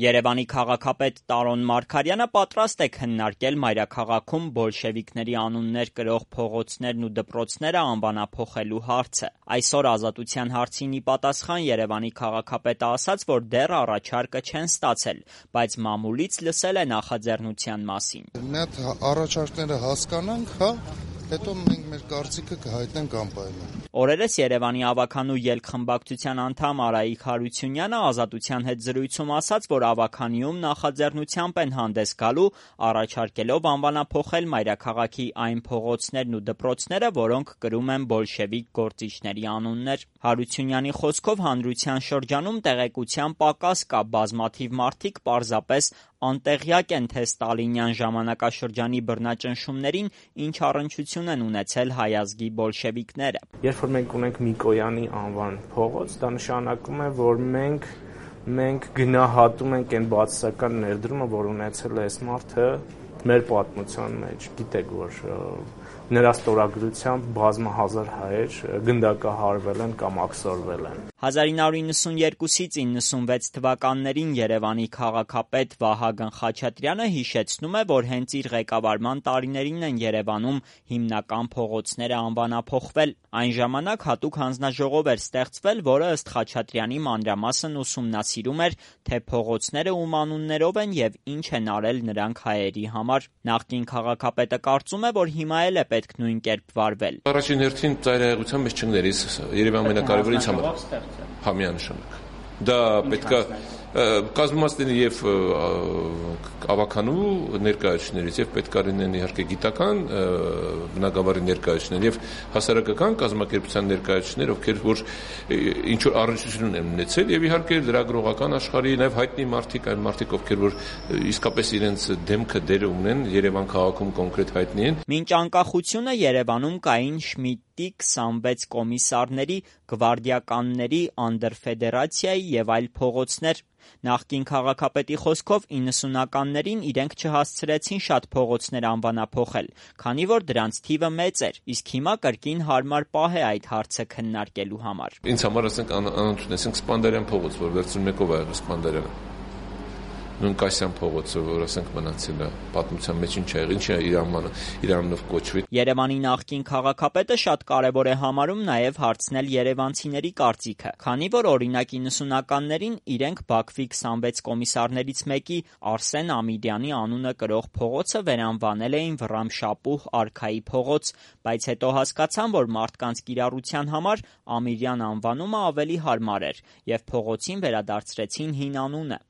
Երևանի քաղաքապետ Տարոն Մարգարյանը պատրաստ է քննարկել մայրաքաղաքում բոլշևիկների անուններ կրող փողոցներն ու դպրոցները անվանափոխելու հարցը։ Այսօր Ազատության հարցին ի պատասխան Երևանի քաղաքապետը ասաց, որ դեռ առաջարկը չեն ստացել, բայց մամուլից լսել է նախաձեռնության մասին։ Մի հատ առաջարկները հասկանանք, հետո մենք մեր կարծիքը կհայտնենք անպայման։ Օրերս Երևանի ավագանու ելք-խմբակցության անդամ Արայիկ Հարությունյանը Ազատության հետ զրույցում ասաց, որ ավագանիում նախաձեռնությամբ են հանդես գալու, առաջարկելով անվանափոխել մայրաքաղաքի այն փողոցներն ու դպրոցները, որոնք կրում են բոլշևիկ գործիչների անուններ։ Հարությունյանի խոսքով հանրության շրջանում տեղեկության պակաս կա, բազմաթիվ մարդիկ պարզապես անտեղյակ են, թե ստալինյան ժամանակաշրջանի բռնաճնշումներին ինչ առնչություն են ունեցել հայ ազգի բոլշևիկները։ Երբ որ մենք ունենք Միկոյանի անվան փողոց, դա նշանակում է, որ մենք գնահատում ենք այն բացասական ներդրումը, որ ունեցել է այս մարդը մեր պատմության մեջ։ Գիտեք, որ նրա ստորագրությամբ բազմահազար հայեր գնդակահարվել են կամ աքսորվել են։ 1992-ից 96 թվականներին Երևանի քաղաքապետ Վահագն Խաչատրյանը հիշեցնում է, որ հենց իր ղեկավարման տարիներին են Երևանում հիմնական փողոցները անվանափոխվել։ Այն ժամանակ հատուկ հանձնաժողով էր ստեղծվել, որը ըստ Խաչատրյանի մանրամասն ուսումնասիրում էր, թե փողոցները ում անուններով են եւ ինչ են արել նրանք հայերի համար։ Նախկին քաղաքապետը կարծում է, որ հիմա էլ է պետք նույն կերպ վարվել։ Առաջին հերթին ծայրահեղության մեջ չգներիս Երևանի ամենակարևոր ինձ համար միանշանակ։ Դա պետքա կազմված լինի եւ ավականու ներկայացուցիչներից եւ պետքա լինեն իհարկե գիտական բնակավարի ներկայացուցիչներ եւ հասարակական կազմակերպության ներկայացուցիչներ, ովքեր որ ինչ որ առնչություն են ունեցել եւ իհարկե լրագրողական աշխարհի նաեւ հայտնի մարդիկ, այն մարդիկ, ովքեր որ իսկապես իրենց դեմքը դերը ունեն Երևան քաղաքում կոնկրետ հայտնի են։ Մինչ անկախությունը Երևանում կային Շմիդտի 26 կոմիսարների, գվարդիականների, անդրֆեդերացիայի եւ այլ փողոցներ։ Նախկին քաղաքապետի խոսքով 90-ականներին իրենք չհասցրեցին շատ փողոցներ անվանափոխել, քանի որ դրանց թիվը մեծ էր, իսկ հիմա կրկին հարմար պահ է այդ հարցը քննարկելու համար։ Ինձ համար ասենք անընդունեցինք Սպանդարյան փողոց, որ վերցնում եկով ա եղել Սպանդարյանը։ Նույն Կասյան փողոցը, որ ասենք մնացել է պատմության մեջ ինչ է իր անունով կոչվի։ Երևանի նախկին քաղաքապետը շատ կարևոր է համարում նաև հարցնել երևանցիների կարծիքը, քանի որ օրինակ 90-ականներին իրենք Բաքվի 26 կոմիսարներից մեկի Արսեն Ամիրյանի անունը կրող փողոցը վերանվանել էին Վռամշապուհ արքայի փողոց, բայց հետո հասկացան, որ մարդկանց կիրառության համար Ամիրյան անվանումը ավելի հարմար էր եւ փողոցին վերադարձրեցին հին անունը։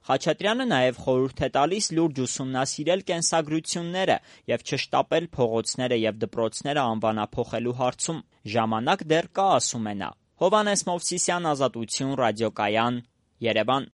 Խաչատրյանը նաև խորհուրդ է տալիս լուրջ ուսումնասիրել կենսագրությունները եւ չշտապել փողոցները եւ դպրոցները անվանափոխելու հարցում։ Ժամանակ դեռ կա, ասում է նա։ Հովհաննես Մովսիսյան, Ազատություն, ռադիոկայան, Երևան։